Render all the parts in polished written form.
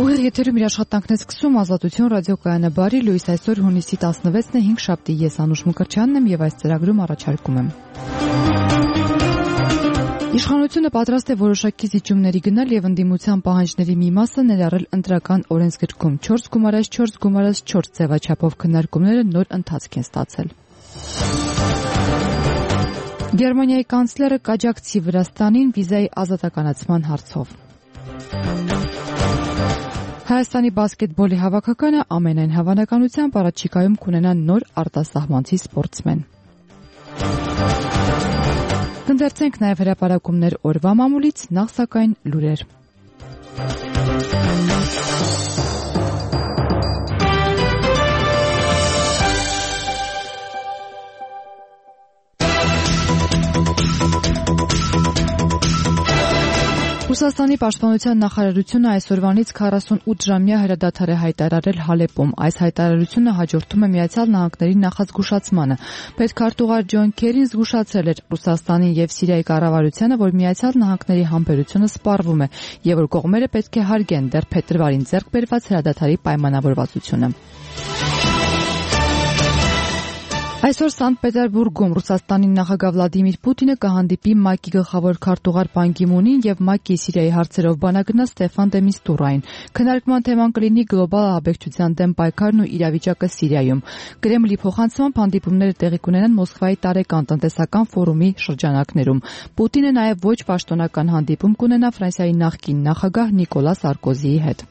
Ուղիղ եթերում իր աշխատանքն է սկսում Ազատություն ռադիոկայանը բարի լույս այսօր հունիսի 16-ն է 5 շաբթի ես Անուշ Մկրտչյանն եմ եւ այս ծրագրում առաջարկում եմ Իշխանությունը պատրաստ է որոշակի զիջումների գնալ եւ ընդդիմության պահանջների մի մասը ներառել ընտրական օրենսգրքում 4+4+4 ձևաչափով քննարկումները նոր ընթացք են ստացել Գերմանիայի կանցլերը կաջակցի Վրաստանին վիզայի ազատականացման հարցով Հայաստանի բասկետբոլի հավաքականը ամենայն հավանականությամբ առաջիկայում կունենա նոր արտասահմանցի սպորտսմեն Կնդերցենք նաև հրապարակումներ օրվա մամուլից, նախ սակայն լուրեր Ռուսաստանի պաշտպանության նախարարությունը այսօրվանից 48 ժամյա հրադադար է հայտարարել Հալեպում։ Այս հայտարարությունը հաջորդում է Միացյալ Նահանգների նախազգուշացմանը։ Պետքարտուղար Ջոն Քերին զգուշացրել էր Ռուսաստանի եւ Սիրիայի կառավարությանը, որ Միացյալ Նահանգների համբերությունը սպառվում է եւ որ կողմերը պետք է հարգեն դեռ փետրվարին ձեռք բերված հրադադարի պայմանավորվածությունը։ Այսօր Սանտ Պետերբուրգում Ռուսաստանի նախագահ Վլադիմիր Պուտինը կհանդիպի ՄԱԿ-ի գլխավոր քարտուղար Պան Գի Մունին եւ ՄԱԿ-ի Սիրիայի հարցերով բանագնաց Ստեֆան դե Միստուրային։ Քննարկման թեման կլինի գլոբալ ահաբեկչության դեմ պայքարն ու իրավիճակը Սիրիայում։ Կրեմլի փոխանցմամբ հանդիպումները տեղի կունենան Մոսկվայի տարեկան տնտեսական ֆորումի շրջանակներում։ Պուտինը նաեւ ոչ պաշտոնական հանդիպում կունենա Ֆրանսիայի նախկին նախագահ Նիկոլա Սարկոզիի հետ։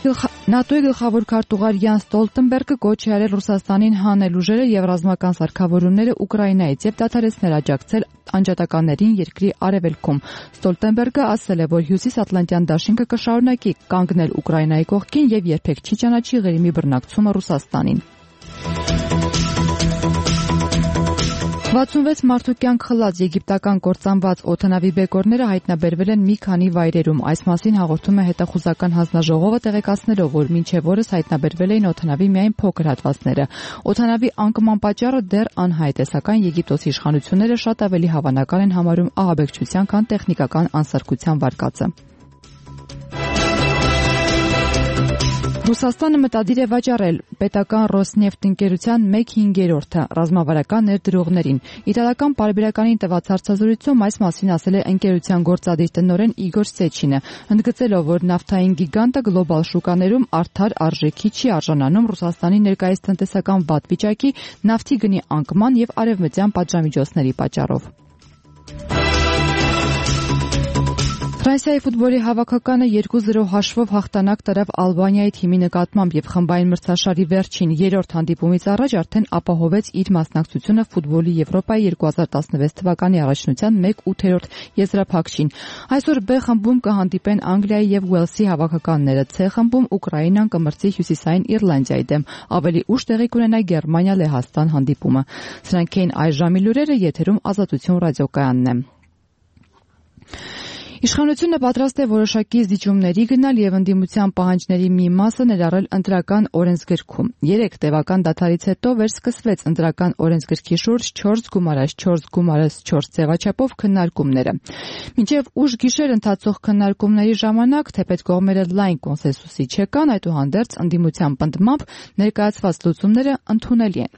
ՆԱՏՕ-ի գլխավոր քարտուղար Յան Ստոլտենբերգը կոչ է արել Ռուսաստանին հանել ուժերը եւ ռազմական սարքավորումները Ուկրաինայից եւ դադարեցնել աջակցել անջատականներին երկրի արևելքում։ Ստոլտենբերգը ասել է, որ Հյուսիսատլանտյան դաշինքը կշարունակի կանգնել Ուկրաինայի կողքին եւ երբեք չի ճանաչի Ղրիմի բռնակցումը Ռուսաստանին։ 66 մարդու կյանք խլած եգիպտական կործանված օդանավի բեկորները հայտնաբերվել են մի քանի վայրերում։ Այս մասին հաղորդում է հետախուզական հանձնաժողովը տեղեկացնելով, որ մինչև օրս հայտնաբերվել էին օդանավի միայն փոքր հատվածները։ Օդանավի անկման պատճառը դեռ անհայտ է, սակայն Եգիպտոսի իշխանությունները շատ ավելի հավանական են համարում ահաբեկչության, քան տեխնիկական անսարքության վարկածը։ Ռուսաստանը մտադիր է վաճառել պետական Ռոսնեֆտ ընկերության 1/5 ռազմավարական ներդրողներին։ Իտալական պարբերականին տված հարցազրույցում այս մասին ասել է ընկերության գործադիր տնօրեն Իգոր Սեչինը, ընդգծելով, որ նավթային գիգանտը գլոբալ շուկաներում արդար արժեքի չի արժանանում Ռուսաստանի ներկայիս տնտեսական վատ վիճակի, նավթի գնի անկման եւ արևմտյան պատժամիջոցների պատճառով։ Ֆրանսիայի ֆուտբոլի հավաքականը 2-0 հաշվով հաղթանակ տարավ Ալբանիայի թիմի նկատմամբ եւ խմբային մրցաշարի վերջին 3-րդ հանդիպումից առաջ արդեն ապահովեց իր մասնակցությունը ֆուտբոլի Եվրոպայի 2016 թվականի առաջնության 1/8 եզրափակչին։ Այսօր B խմբում կհանդիպեն Անգլիայի եւ Ուելսի հավաքականները, C խմբում Ուկրաինան կմրցի Հյուսիսային Իռլանդիայի դեմ։ Ավելի ուշ տեղի կունենա Գերմանիա-Լեհաստան հանդիպումը։ Սրանք էին այս ժամի լուրերը, եթերում Ազատություն ռադիոկայանն է։ Իշխանությունը պատրաստ է որոշակի զիջումների գնալ եւ ընդդիմության պահանջների մի մասը ներառել ընտրական օրենսգրքում։ 3 տևական դադարից հետո վերսկսվեց ընտրական օրենսգրքի շուրջ 4+4+4 ձևաչափով քննարկումները։ Մինչև ուշ գիշեր ընթացող քննարկումների ժամանակ թեպետ կողմերը լայն կոնսենսուսի չեկան, այդուհանդերձ ընդդիմության պնդմամբ ներկայացված լուծումները ընդունելի են։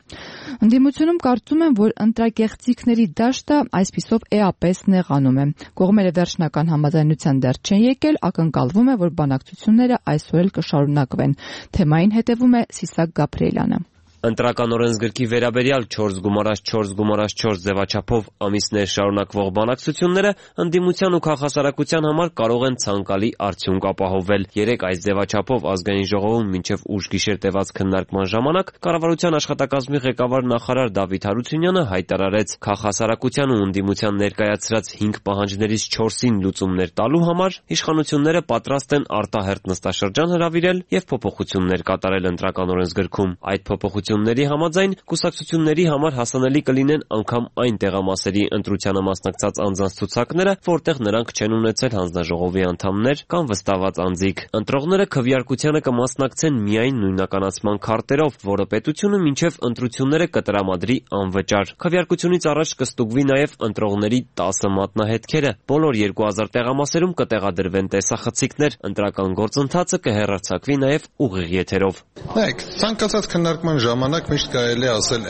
Ընդդիմությունում կարծում են, որ ընտրակեղծիքների դաշտը այսպիսով էապես նեղանում է։ Կողմերը վերջնական համաձայնության դեռ չեն եկել, ակնկալվում է, որ բանակցությունները այսօր էլ կշարունակվեն։ Թեմային հետևում է Սիսակ Գաբրիելյանը։ Ընտրական օրենսգրքի վերաբերյալ 4+4+4 ձևաչափով ամիսներ շարունակվող բանակցությունները ընդդիմության ու քաղաքասարակության համար կարող են ցանկալի արդյունք ապահովել։ 3 այս ձևաչափով ազգային ժողովում մինչև ուշ գիշեր տևած քննարկման ժամանակ կառավարության աշխատակազմի ղեկավար նախարար Դավիթ Հարությունյանը հայտարարեց, քաղաքասարակության ու ընդդիմության ներկայացրած 5 պահանջներից 4-ին լուծումներ տալու համար իշխանությունները պատրաստ են արտահերթ նստաշրջան հրավիրել եւ փոփոխություններ կատարել ընտրական օրենսգրքում։ Այդ փոփոխությունները տեղեկատվությունների համաձայն կուսակցությունների համար հասանելի կլինեն անգամ այն տեղամասերի ընտրությանը մասնակցած անձանց ցուցակները, որտեղ նրանք չեն ունեցել հանձնաժողովի անդամներ կամ վստահված անձիկ։ Ընտրողները քվեարկությանը կմասնակցեն միայն նույնականացման քարտերով, որը պետությունը մինչև ընտրությունները կտրամադրի անվճար։ Քվեարկությունից առաջ կստուգվի նաև ընտրողների 10 մատնահետքերը։ Բոլոր 2000 տեղամասերում կտեղադրվեն տեսախցիկներ, ընտրական գործընթացը կհեռարձակվի նաև ուղիղ եթերով։ Նայեք, ցանկացած քննարկման ժամանակ միշտ կարելի է ասել,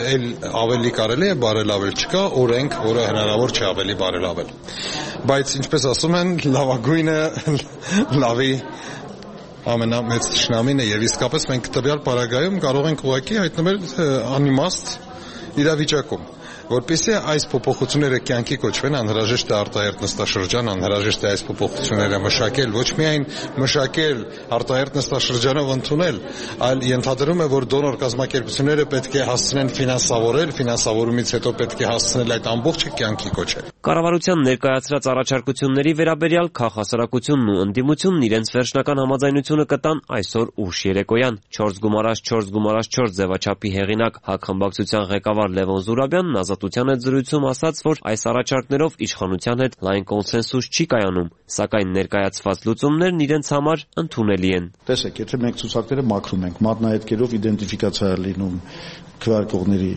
ավելի կարելի է բարելավել, չկա օրենք, որը հնարավոր չէ ավելի բարելավել։ Բայց ինչպես ասում են, լավագույնը լավի ամենամեծ թշնամին է, եւ իսկապես մենք տվյալ պարագայում կարող ենք ուղղակի հայտնվել անիմաստ իրավիճակում։ Որպեսզի այս փոփոխությունները կյանքի կոչվեն, անհրաժեշտ է արտահերթ նստաշրջան, անհրաժեշտ է այս փոփոխությունները մշակել, ոչ միայն մշակել, արտահերթ նստաշրջանով ընդունել, այլ ենթադրում է, որ դոնոր կազմակերպությունները պետք է հասցնեն ֆինանսավորել, ֆինանսավորումից հետո պետք է հասցնել այդ ամբողջը կյանքի կոչել։ Կառավարության ներկայացրած առաջարկությունների վերաբերյալ քաղաքասարակությունն ու ընդդիմությունն իրենց վերջնական համաձայնությունը կտան այսօր ուշ երեկոյան։ 4x4x4 ձևաչափի հեղինակ հակխմբակցության ղեկավար Լևոն Զուրաբյանն Ազատության հետ զրույցում ասաց, որ այս առաջարկներով իշխանության հետ լայն կոնսենսուս չի կայանում, սակայն ներկայացված լուծումներն իրենց համար ընդունելի են։ Տեսեք, եթե մենք ցուցակները մաքրում ենք, մատնահետքերով իդենտիֆիկացիա է լինում քվեարկողների,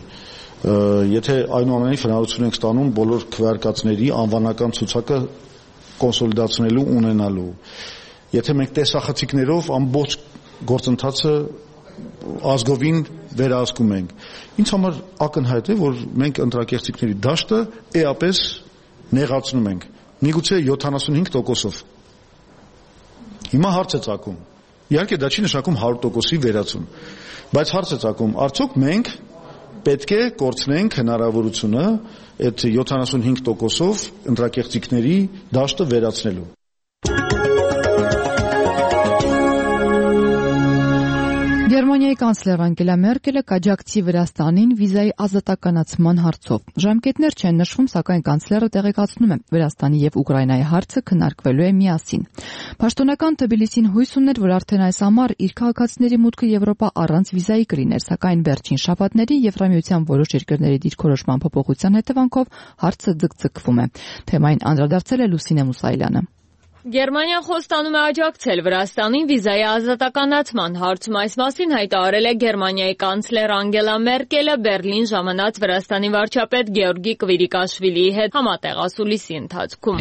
եթե այնուամենայնիվ հնարավորություն ենք ստանում բոլոր քվեարկածների անվանական ցուցակը կոնսոլիդացնելու ունենալու, եթե մենք տեսախցիկներով ամբողջ գործընթացը ազգովին վերահսկում ենք, ինձ համար ակնհայտ է, որ մենք ընտրակեղծիքների դաշտը էապես նեղացնում ենք, միգուցե 75%-ով։ Հիմա հարց է ծագում, իհարկե դա չի նշանակում 100%-ի վերացում, բայց հարց է ծագում, արդյոք մենք պետք է կորցնենք հնարավորությունը այդ 75%-ով ընտրակեղծիքների դաշտը վերացնելու։ Գերմանիայի կանցլեր Անգելա Մերկելը կաջակցի Վրաստանին վիզայի ազատականացման հարցով։ Ժամկետներ չեն նշվում, սակայն կանցլերը տեղեկացնում է, Վրաստանի եւ Ուկրաինայի հարցը քննարկվելու է միասին։ Պաշտոնական Թբիլիսին հույս ուներ, որ արդեն այս ամառ իր քաղաքացիների մուտքը Եվրոպա առանց վիզայի կլիներ, սակայն վերջին շաբաթների Եվրամիության որոշ երկրների դիրքորոշման փոփոխության հետևանքով հարցը ձգձգվում է։ Թեմային անդրադարձել է Լուսինե Մուսայելյանը։ Գերմանիան խոստանում է աջակցել Վրաստանին վիզայի ազատականացման հարցում, այս մասին հայտարարել է Գերմանիայի կանցլեր Անգելա Մերկելը Բերլին ժամանած Վրաստանի վարչապետ Գեորգի Կվիրիկաշվիլիի հետ համատեղ ասուլիսի ընթացքում։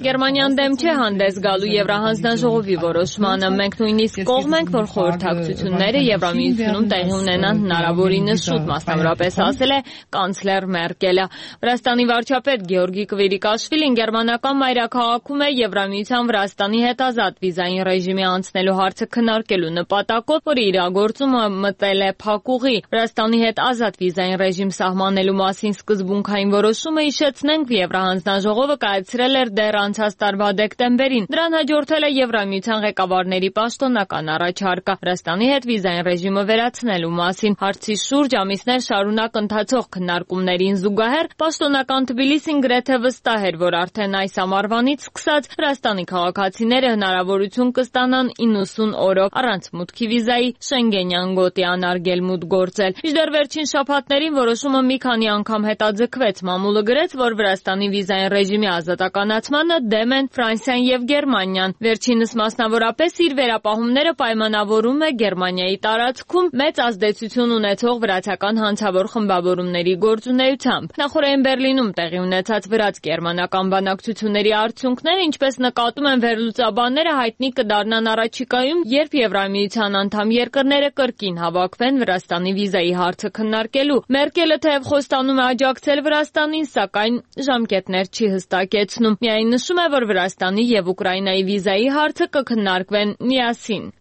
Գերմանիան դեմ չէ հանդես գալու Եվրահանձնաժողովի որոշմանը, մենք նույնիսկ կողմ ենք, որ խորհրդակցությունները Եվրամիությունում տեղի ունենան հնարավորինս շուտ, մասնավորապես ասել է կանցլեր Մերկելը։ Վրաստանի վարչապետ Գեորգի Կվիրիկաշվիլին գերմանական մայրաքաղաքում է Եվրամիության Վրաստանի հետ ազատ վիզային ռեժիմի անցնելու հարցը քննարկելու նպատակով, որի իրագործումը մտել է փակուղի։ Վրաստանի հետ ազատ վիզային ռեժիմ սահմանելու մասին սկզբունքային որոշումը հիշեցնենք Եվրահանձնաժողովը կայացրել էր դեռ անցած տարվա դեկտեմբերին։ Դրան հաջորդել է Եվրամիության ղեկավարների պաշտոնական առաջարկը Վրաստանի հետ վիզային ռեժիմը վերացնելու մասին։ Հարցի շուրջ ամիսներ շարունակ ընթացող քննարկումներին զուգահեռ պաշտոնական Թբիլիսին գրեթե վստահ էր, որ արդեն այս ամառվանից սկսած Վրաստանի քաղաքացիները հնարավորություն կստանան 90 օրով առանց մուտքի վիզայի Շենգենյան գոտի անարգել մուտք գործել։ Մինչդեռ վերջին շաբաթներին որոշումը մի քանի անգամ հետաձգվեց։ Մամուլը գրեց, որ Վրաստանի վիզային ռեժիմի ազատականացմանը դեմ են Ֆրանսիան եւ Գերմանիան։ Վերջինս մասնավորապես իր վերապահումները պայմանավորում է Գերմանիայի տարածքում մեծ ազդեցություն ունեցող վրացական հանցավոր խմբավորումների գործունեությամբ։ Նախորդին Բերլինում տեղի ունեցած վրաց-գերմանական բանակցությունների արդյունքները, ինչպես նկատում են վերլուծաբանները, հայտնի կդառնան առաջիկայում, երբ Եվրամիության անդամ երկրները կրկին հավաքվեն Վրաստանի վիզայի հարցը քննարկելու։ Մերկելը թեև խոստանում է աջակցել Վրաստանին, սակայն ժամկետներ չի հստակեցնում։ Միայն նշում է, որ Վրաստանի եւ Ուկրաինայի վիզայի հարցը կքննարկվեն միասին։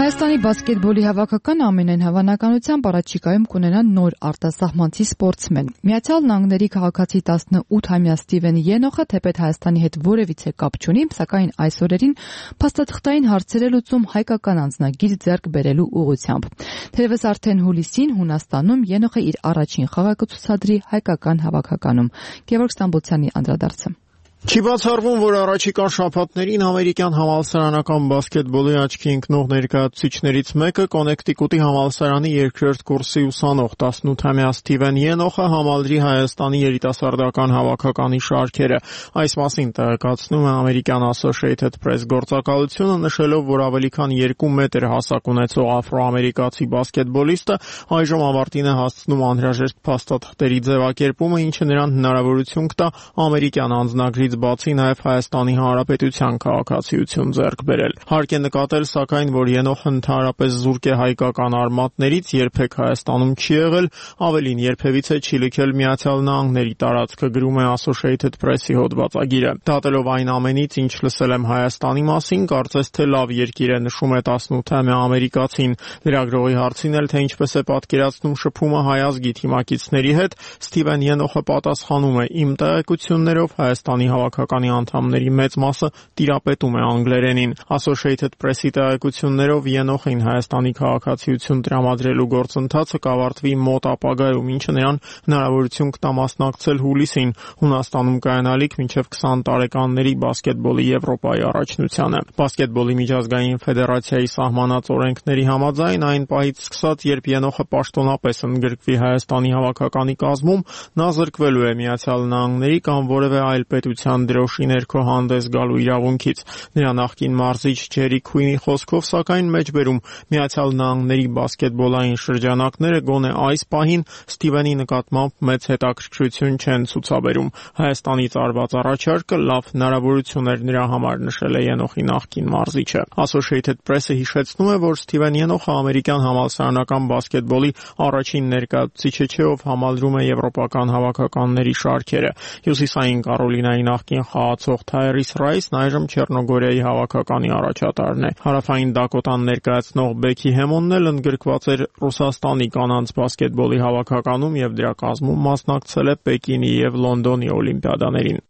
Հայաստանի բասկետբոլի հավաքական ամենայն հավանականությամբ առաջիկայում կունենա նոր արտասահմանցի սպորտսմեն։ Միացյալ Նահանգների քաղաքացի 18-ամյա Ստիվեն Ենոխը թեպետ Հայաստանի հետ որևիցե կապ չունի, սակայն այս օրերին փաստաթղթային հարցեր է լուծում հայկական անձնագիր ձեռք բերելու ուղղությամբ։ Թերևս արդեն հուլիսին Հունաստանում Ենոխը իր առաջին խաղը կցուցադրի հայկական հավաքականում։ Գևորգ Ստամբոլցյանի անդրադարձը։ Չի բացառվում, որ առաջիկա շաբաթներին ամերիկյան համալսարանական բասկետբոլի աչքի ընկնող ներկայացուցիչներից մեկը Կոնեկտիկուտի համալսարանի երկրորդ կուրսի ուսանող 18-ամյա Սթիվեն Ենոխը համալրի Հայաստանի երիտասարդական հավաքականի շարքերը։ Այս մասին տեղեկացնում է ամերիկյան Associated Press գործակալությունը, նշելով, որ ավելի քան 2 մետր հասակ ունեցող աֆրոամերիկացի բասկետբոլիստը այժմ ավարտին է հասցնում անհրաժեշտ փաստաթղթերի ձևակերպումը, ինչը նրան հնարավորություն կտա ամերիկյան անձնագրից բացի նաև Հայաստանի Հանրապետության քաղաքացիություն ձեռք բերել։ Հարկ է նկատել, սակայն, որ Ենոխը ընդհանրապես զուրկ է հայկական արմատներից, երբեք Հայաստանում չի եղել, ավելին երբևիցե չի լքել Միացյալ Նահանգների տարածքը, գրում է Associated Press-ի հոդվածագիրը։ Դատելով այն ամենից, ինչ լսել եմ Հայաստանի մասին, կարծես թե լավ երկիր է, նշում է 18-ամյա ամերիկացին։ Լրագրողի հարցին էլ, թե ինչպես է պատկերացնում շփումը հայ ազգի թիմակիցների հետ, Սթիվեն Ենոխը պատասխանում է. «Իմ տեղեկություններով Հայաստանի հավաքականի անդամների մեծ մասը տիրապետում է անգլերենին»։ Associated Press-ի տեղեկություններով Ենոխին Հայաստանի քաղաքացիություն տրամադրելու գործընթացը կավարտվի մոտ ապագայում, ինչը նրան հնարավորություն կտա մասնակցել հուլիսին Հունաստանում կայանալիք մինչև 20 տարեկանների բասկետբոլի Եվրոպայի առաջնությանը։ Բասկետբոլի միջազգային ֆեդերացիայի սահմանած օրենքների համաձայն այն պահից սկսած, երբ Ենոխը պաշտոնապես ընդգրկվի Հայաստանի հավաքականի կազմում, նա զրկվելու է Միացյալ Նահանգների կամ որևէ այլ պետության դրոշի ներքո հանդես գալու իրավունքից։ Նրա նախկին մարզիչ Ջերի Քուինի խոսքով, սակայն մեջբերում Միացյալ Նահանգների բասկետբոլային շրջանակները գոնե այս պահին Սթիվենի նկատմամբ մեծ հետաքրքրություն չեն ցուցաբերում։ Հայաստանից արված առաջարկը լավ հնարավորություն էր նրա համար, նշել է Ենոխի նախկին մարզիչը։ Associated Press-ը հիշեցնում է, որ Սթիվեն Ենոխը ամերիկյան համալսարանական բասկետբոլի առաջին ներկայացուցիչը չէ, ով համալրում է եվրոպական հավաքականների շարքերը։ Հյուսիսային Կարոլինայի նախկին խաղացող Թայրիս Ռայսն այժմ Չեռնոգորիայի հավաքականի առաջատարն է։ Հարավային Դակոտան ներկայացնող Բեքի Հեմոնն էլ ընդգրկված էր Ռուսաստանի կանանց բասկետբոլի հավաքականում եւ դրա կազմում մասնակցել է Պեկինի եւ Լոնդոնի օլիմպիադաներին։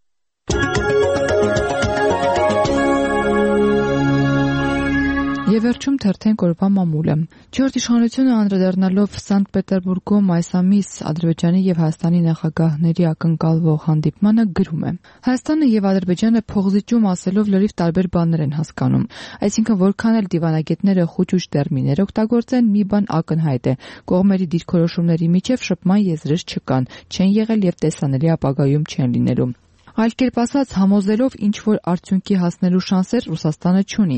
Եվ վերջում թերթենք օրվա մամուլը։ Չորրորդ իշխանությունը անդրադառնալով Սանտ Պետերբուրգում այս ամիս Ադրբեջանի եւ Հայաստանի նախագահների ակնկալվող հանդիպմանը գրում է. Հայաստանը եւ Ադրբեջանը փողզիջում ասելով լրիվ տարբեր բաներ են հասկանում։ Այսինքն որքան էլ դիվանագետները խուճուճ տերմիններ օգտագործեն, մի բան ակնհայտ է. կողմերի դիրքորոշումների միջև շփման եզրեր չկան, չեն եղել եւ տեսանելի ապագայում չեն լինելու։ Այլ կերպ ասած, համոզելով ինչ-որ արդյունքի հասնելու շանսեր Ռուսաստանը չունի։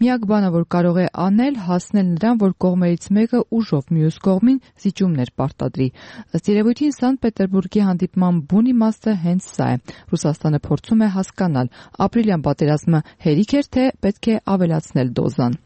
Միակ բանը, որ կարող է անել, հասնել նրան, որ կողմերից մեկը ուժով մյուս կողմին զիջումներ պարտադրի։ Ըստ երևույթին Սանտ Պետերբուրգի հանդիպման բուն իմաստը հենց սա է։ Ռուսաստանը փորձում է հասկանալ, ապրիլյան պատերազմը հերիք էր, թե պետք է ավելացնել դոզան։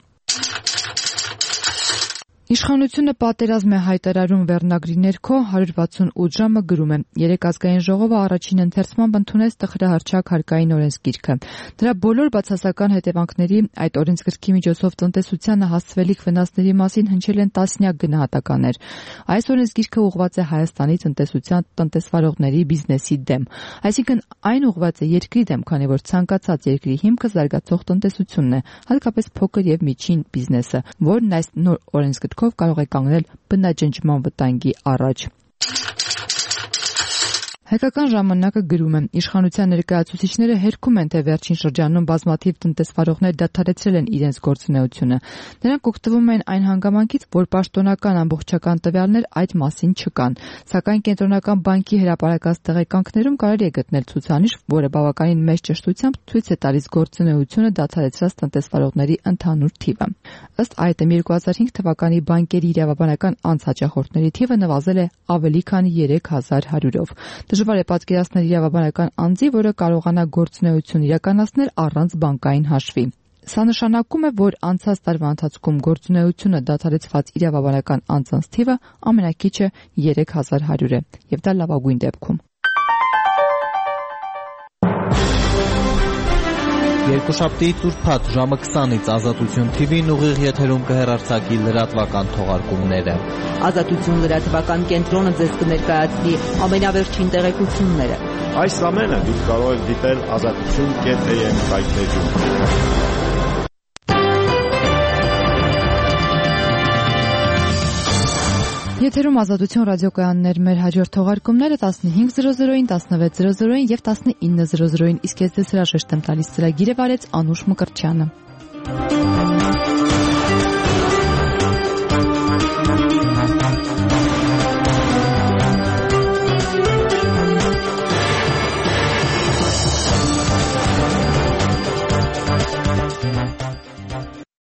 Իշխանությունը պատերազմ է հայտարարում վերնագրի ներքո 168 ժամը գրում է. Երեկ ազգային ժողովը առաջին ընթերցմամբ ընդունեց տխրահռչակ հարկային օրենսգիրքը։ Դրա բոլոր բացասական հետևանքների, այդ օրենսգրքի միջոցով տնտեսությանը հասցվելիք վնասների մասին հնչել են տասնյակ գնահատականներ։ Այս օրենսգիրքը ուղղված է Հայաստանի տնտեսության տնտեսվարողների բիզնեսի դեմ։ Այսինքն այն ուղղված է երկրի դեմ, քանի որ ցանկացած երկրի հիմքը զարգացող տնտեսությունն է, հատկապես փոքր եւ միջին բիզնեսը, որն այս նոր օրենսգրքով կարող է կանգնել բնաջնջման վտանգի առաջ։ Հայկական ժամանակը գրում է. իշխանության ներկայացուցիչները հերքում են, թե վերջին շրջանում բազմաթիվ տնտեսվարողներ դադարեցրել են իրենց գործունեությունը։ Նրանք օգտվում են այն հանգամանքից, որ պաշտոնական ամբողջական տվյալներ այդ մասին չկան։ Սակայն կենտրոնական բանկի հրապարակած տեղեկանքներում կարելի է գտնել ցուցանիշ, որը բավականին մեծ ճշտությամբ ցույց է տալիս գործունեությունը դադարեցրած տնտեսվարողների ընդհանուր թիվը։ Ըստ այդմ 2005 թվականի բանկերի իրավաբանական անցաճախորդների թիվը նվազել է ավելի քան 3100-ով։ Դժվար է պատկերացնել իրավաբանական անձի, որը կարողանա գործունեություն իրականացնել առանց բանկային հաշվի։ Սա նշանակում է, որ անցած տարվա ընթացքում գործունեությունը դադարեցված իրավաբանական անձանց թիվը ամենակիչը 3100 է, եւ դա լավագույն դեպքում։ Երկուշաբթիից ուրբաթ ժամը 20-ից Ազատություն TV-ն ուղիղ եթերում կհեռարձակի լրատվական թողարկումները։ Ազատություն լրատվական կենտրոնը ձեզ կներկայացնի ամենավերջին տեղեկությունները։ Այս ամենը դուք կարող եք դիտել azatutun.am սայթերում։ Եթերում Ազատություն ռադիոկայաններ, մեր հաջորդ թողարկումները 15:00-ին, 16:00-ին եւ 19:00-ին, իսկ ես ձեզ հրաժեշտ եմ տալիս ծրագիրը վարեց Անուշ Մկրտչյանը։